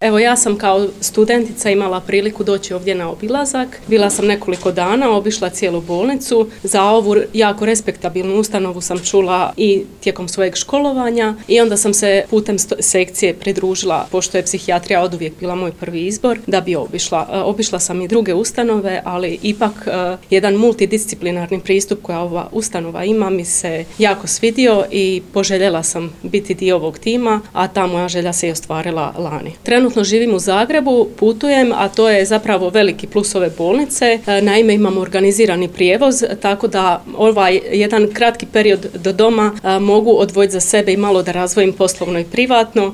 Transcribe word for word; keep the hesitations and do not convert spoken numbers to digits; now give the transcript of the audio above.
Evo, ja sam kao studentica imala priliku doći ovdje na obilazak. Bila sam nekoliko dana, obišla cijelu bolnicu. Za ovu jako respektabilnu ustanovu sam čula i tijekom svojeg školovanja i onda sam se putem sekcije pridružila, pošto je psihijatrija oduvijek bila moj prvi izbor, da bi obišla. Obišla sam i druge ustanove, ali ipak jedan multidisciplinarni pristup koja ova ustanova ima mi se jako svidio i poželjela sam biti dio ovog tima, a ta moja želja se i ostvarila lani. Trenutno živim u Zagrebu, putujem, a to je zapravo veliki plus ove bolnice. Naime, imamo organizirani prijevoz, tako da ovaj jedan kratki period do doma mogu odvojiti za sebe i malo da razvojim poslovno i privatno.